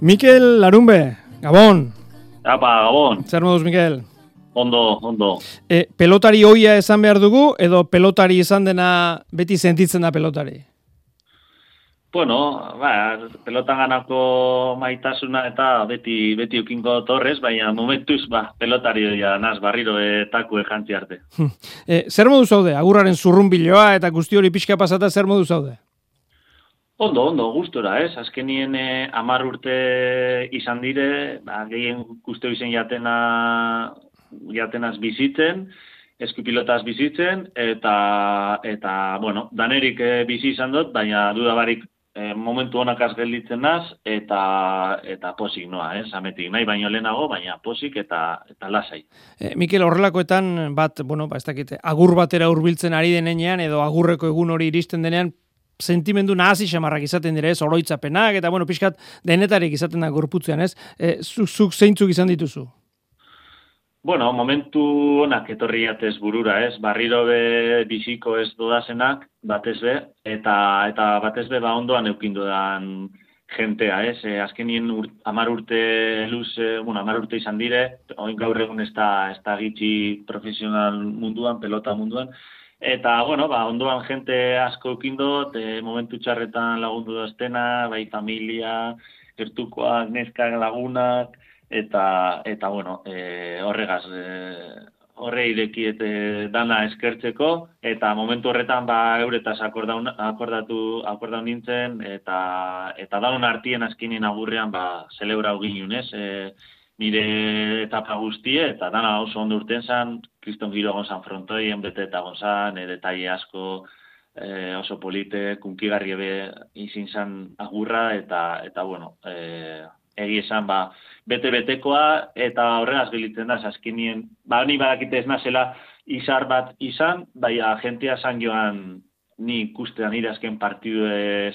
Mikel Larunbe, Gabon. Apa, Gabon. Zer moduz, Mikel? Ondo. Pelotari hoia esan behar dugu, edo pelotari izan dena beti sentitzen da pelotari? Bueno, pelotan ganako maitasuna eta beti ukingo torrez, baina momentuz, pelotari ja naz barriro etaku jantzi arte. Zer modu zaude? Agurraren zurrunbiloa eta guzti hori pixka pasata zer modu zaude? Ondo, gustora, ez? Azkenien 10 urte izan dire, gehien guztio izen jatenaz bizitzen, eskupilotaz bizitzen, eta bueno, danerik bizi izan dut, baina dudabarik momentu honakaz gelditzen naz, eta posik noa, zametik nahi baino lehenago, baina posik eta lasai. Mikel, horrelakoetan ez dakite, agur batera hurbiltzen ari denean, edo agurreko egun hori iristen denean, sentimendu nahasi xamarrak izaten dire, ez, oroitzapenak, eta pixkat denetarik izaten da gorputzean, ez? Zuk zeintzuk izan dituzu? Bueno, momentu honak etorri jatez burura, ez? Barriro be biziko ez dodazenak, batez be, eta batez be ondoan eukindu dan jentea, ez? Azkenien 10 urte luz, 10 urte izan dire, oin gaur egun ez da gitxi profesional munduan, pelota munduan, eta, bueno, ondoan jente asko eukindot, momentu txarretan lagundu doztena, bai familia, gertukoak, neskak, lagunak, eta bueno, horregaz, horre irekiet dana eskertzeko, eta momentu horretan euretaz akordatu nintzen, eta daun artien azkinen agurrean zelebrau ginen, ez? Nire etapa guztie, eta dana oso ondo urten zan, Kriston giro gonzan frontoien, bete eta gonzan, detaile asko, oso polite, kunkigarri ebe izin zan agurra, eta bueno, egi esan, bete-betekoa, eta horregaz gelitzen da, azkenien, ni badakite ez nazela izar bat izan, baina jentea zan joan ni ikustean nire azken partidu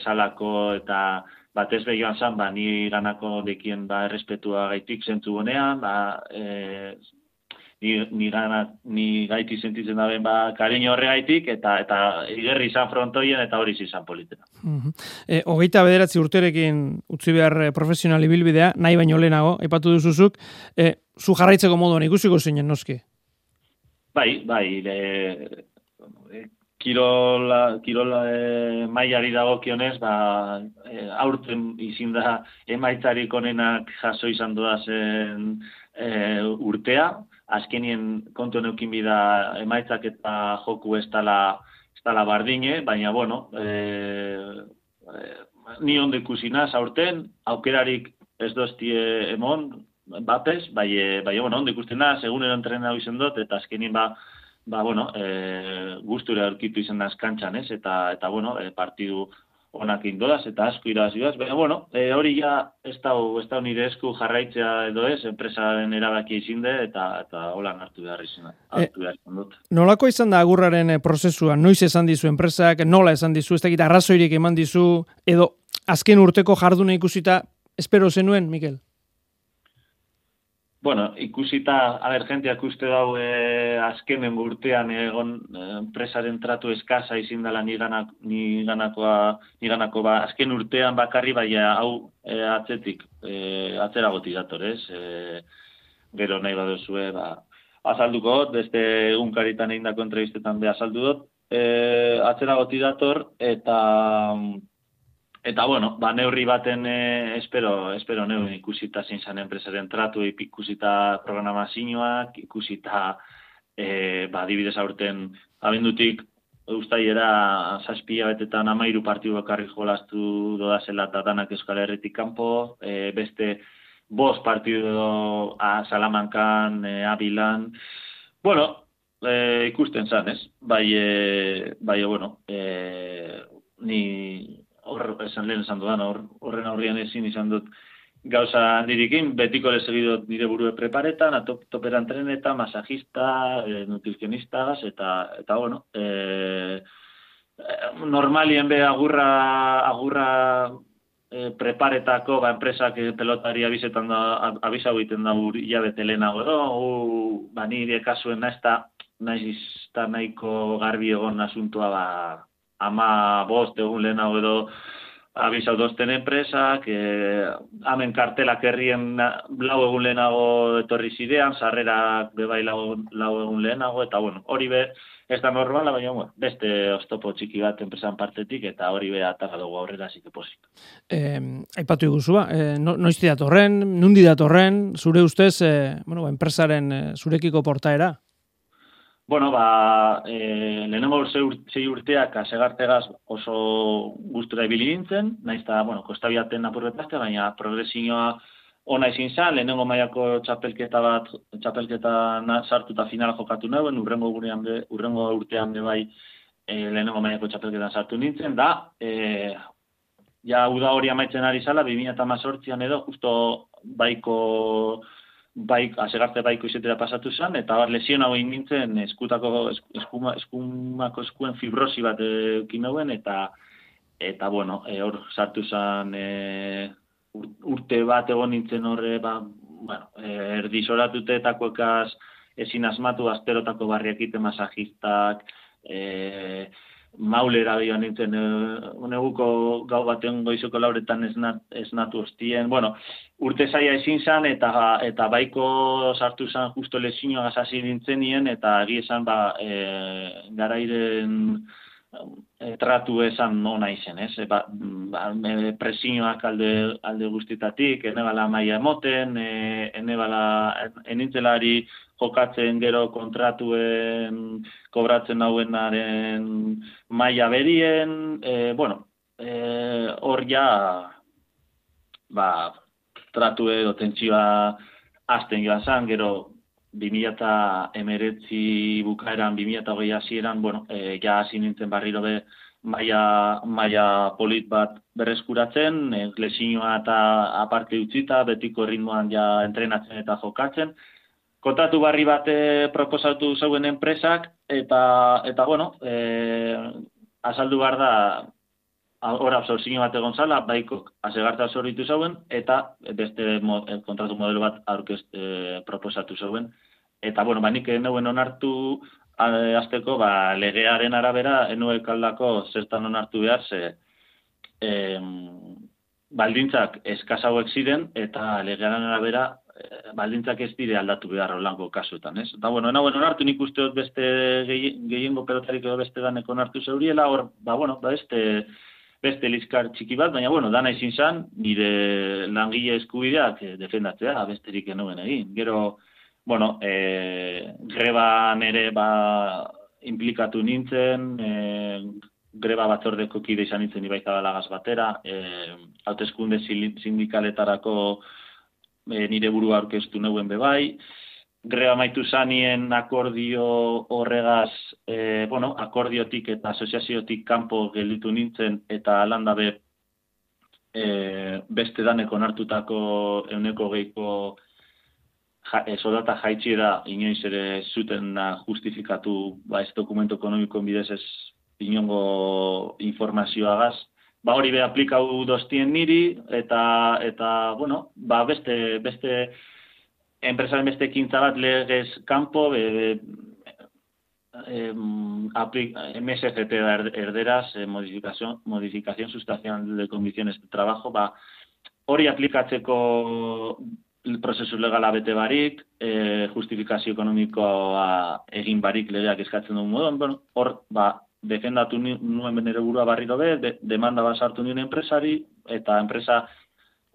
salako, eta batez behioan zan, ni ganako dekien errespetua gaitik zentzu bonean, ni gaiti sentitzen daben kariño horregaitik, eta igerri izan frontoien, eta hori izan politena. 29 urterekin utzi behar profesional ibilbidea, nahi baino lehenago, aipatu duzuzuk, zu jarraitzeko moduan ikusiko zinen, noski? Bai, kirola mailari dagokionez, aurten izin da emaitzarik onenak jaso izan doazen urtea, azkenien kontu neukin bida emaitzak eta joku ez dala bardine, baina, bueno, ni ondo ikusinaz aurten, aukerarik ez doztie emon, batez, bai, bueno, ondo ikustenaz, egunero entrenau izan dut, eta azkenien bueno, gustura aurkitu izan naz kantxan, ez? Eta bueno, partidu onak indodaz, eta asko irazioaz, baina, bueno, hori ja ez da nire esku jarraitzea edo ez, enpresaren erabaki izinde, eta holan hartu behar izan dut. Nolako izan da agurraren prozesua? Noiz esan dizu enpresak, nola esan dizu, ez dakit arrazoirik eman dizu, edo azken urteko jarduna ikusita, espero zenuen, Mikel? Bueno, ikusita, jenteak uste dau azkenen urtean egon enpresaren tratu eskaza izin dela niganako azken urtean bakarri, baina hau atzeragotik dator, ez? Gero nahi baduzue, azalduko, beste egunkaritan egindako entrevistetan azaldu dut, atzeragotik dator, eta bueno, neurri baten espero neurri ikusita zein zan enpresaren tratu, ikusita programazioak, ikusita adibidez aurten abendutik ustailera 7 betetan 13 partidu bakarrik jolastu dodazela eta danak Euskal Herritik kanpo, beste 5 partidu Salamankan, Abilan, bueno, ikusten zan, ez? Bai, bueno, ni lehen esan dudan, horren aurrian ezin izan dut gauza handirikin, betiko lezegidot nire burue preparetan, toperan trenetan, masajista, nutrizionistaz, eta bueno, normalien be agurra preparetako enpresak pelotari abizetan da, abizau egiten da hilabete lehenago edo, nire kasuen naiz da nahiko garbi egon asuntua 15 egun lehenago edo abisau dozten enpresak, hamen kartelak herrien lau egun lehenago etorri zidean, sarrerak bebai lau egun lehenago, eta bueno, hori be, ez da normala, baina bueno, beste oztopo txiki bat enpresan partetik, eta hori be atara dugu aurrera, zike posik. Aipatu iguzua, noizti datorren, nundi datorren, zure ustez, enpresaren zurekiko portaera? Bueno, lehenengo sei urteak asegartegaz oso gustura ibili nintzen, naiz eta, kostabiaten apurretazte, baina progresioa ona izin zan, lehenengo mailako txapelketa sartuta finala jokatu nauen, urrengo urtean bai lehenengo mailako txapelketan sartu nintzen, da, ja uda hori amaitzen ari zala, 2018an edo, justo asegarte baiko izetera pasatu zen, eta lesion hau egin nintzen eskumako eskuen fibrosi bat ekin nauen, eta bueno, hor sartu zen urte bat egon nintzen horre, erdi zoratutetako ekaz ezin asmatu, asterotako barriak ite masajistak, maulera joan nintzen, neguko gau baten goizoko lauretan esnatu hostien. Bueno, urte zaila ezin zan, eta baiko sartu zan justo lesioa hasi nintzen nien, eta egi esan garairen tratu esan nona izen, ez? Presioak alde guztitatik, enebala maia emoten, enintzelari jokatzen gero kontratuen kobratzen hauenaren maila berien, hor ja, tratu edo tentsioa azten joan zan, gero 2019 bukaeran, 2020 hasieran, ja hasi nintzen barriro be maila polit bat berreskuratzen, lesioa eta aparte utzita, betiko ritmoan ja entrenatzen eta jokatzen. Kontratu barri bat proposatu zeuen enpresak, eta azaldu behar da, hor absorzio bat egon zala, baikok asegarta absorbitu zeuen, eta beste kontratu modelo bat proposatu zeuen. Eta, nik neuen onartu azteko, legearen arabera, enuek aldako zertan onartu behar, baldintzak eskasauek ziren, eta legearen arabera, baldintzak ez dire aldatu behar holango kasuetan, ez? Eta, nauen onartu nik usteot beste gehiengo pelotarik edo beste danek onartu zeuriela, hor, beste liskar txiki bat, baina, dana izin zan, nire langile eskubideak defendatzea, besterik enuen egin. Gero, greban ere implikatu nintzen, greba batzordeko kide izan nintzen Ibaizabalagas batera, hauteskunde sindikaletarako nire burua aurkeztu neuen bebai, greba maitu zanien akordio horregaz, akordiotik eta asoziaziotik kanpo gelditu nintzen, eta landabe beste daneko onartutako 100 soldata jaitxiera inoiz ere zuten justifikatu ez dokumento ekonomikoen bidez ez inongo informazioagaz. Hori be aplikau doztien niri, eta beste enpresaren beste ekintza bat legez kanpo, MSCT erderaz, modificación sustancial de condiciones de trabajo, hori aplikatzeko prozesu legala bete barik, justifikazio ekonomikoa egin barik legeak eskatzen duen moduan, hor, defendatu nuen benere burua barriro be, demanda bat sartu nuen enpresari, eta enpresa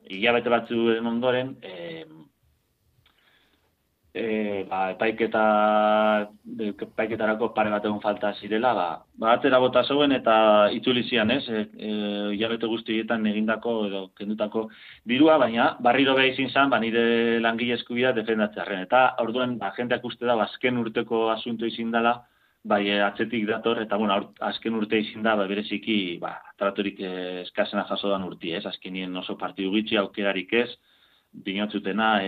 hilabete batzuen ondoren, epaiketarako pare bat egon falta zirela, atera bota zeuen eta itzuli zian, ez? Hilabete guztietan egindako edo kendutako dirua, baina barriro beha izin zan, nire langile eskubidea defendatzearen. Eta orduan, jendeak uste da, azken urteko asunto izin dela, atzetik dator, eta azken urte izin da, bereziki, tratorik eskasena jasodan urti, ez? Azkenien oso partidu gitxi, aukerarik ez, dinotzutena,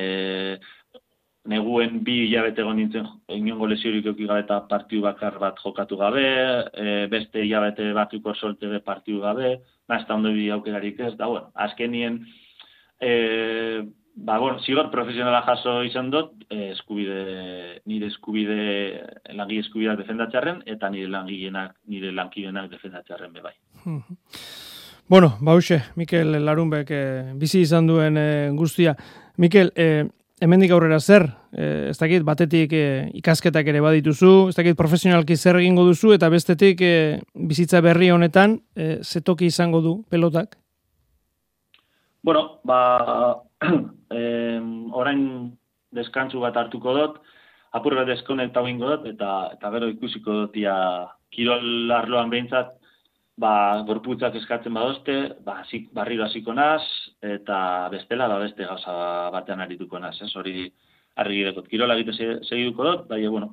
neguen 2 hilabete egon nintzen inongo lesiorik euki gabe eta partidu bakar bat jokatu gabe, beste hilabete batuko soltebe partidu gabe, ez da ondo bi aukerarik ez, azkenien, zigor profesionala jaso izan dut, nire langile eskubideak defendatzearen, eta nire lankidenak defendatzearen bebai. Bueno, bauxe, Mikel Larunbek bizi izan duen guztia. Mikel, hemendik aurrera zer? Ez dakit, batetik ikasketak ere badituzu, ez dakit profesionalki zer egingo duzu, eta bestetik bizitza berri honetan zetoki izango du pelotak? Bueno, orain deskantzu bat hartuko dut, apur bat deskonekta egingo dut, eta gero ikusiko dut kirol arloan behintzat, gorputzak eskatzen badozte, barriro hasiko naz, eta bestela, beste gauza batean arituko naz, hori argi dekot. Kirola egite segituko dut, bueno,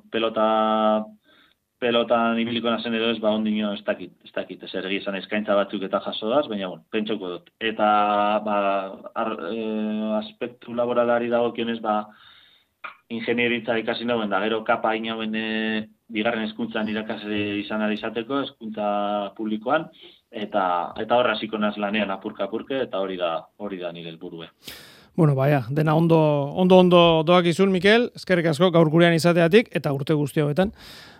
pelotan ibiliko nazen edo ez, ondino ez dakit, ez ergi izan eskaintza batzuk eta jaso daz, baina, bueno, pentsoko dut. Eta, aspektu laboralari dagokionez, ingenieritza ikasi nagoen, da gero kapa inauen bigarren hezkuntzan irakasle izan ari izateko, hezkuntza publikoan, eta horra hasiko naz lanean apurka-apurke, eta hori da nire helburue. Bueno, dena ondo doak izun, Mikel, eskerrik asko gaur gurean izateatik, eta urte guzti hauetan,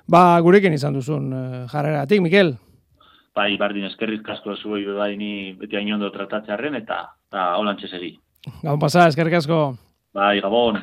gurekin izan duzun jarreratik, Mikel. Bardin, eskerrik asko zuei ni beti hain ondo tratatzearen, eta holantxe segi. Gabon pasa, eskerrik asko. Gabon.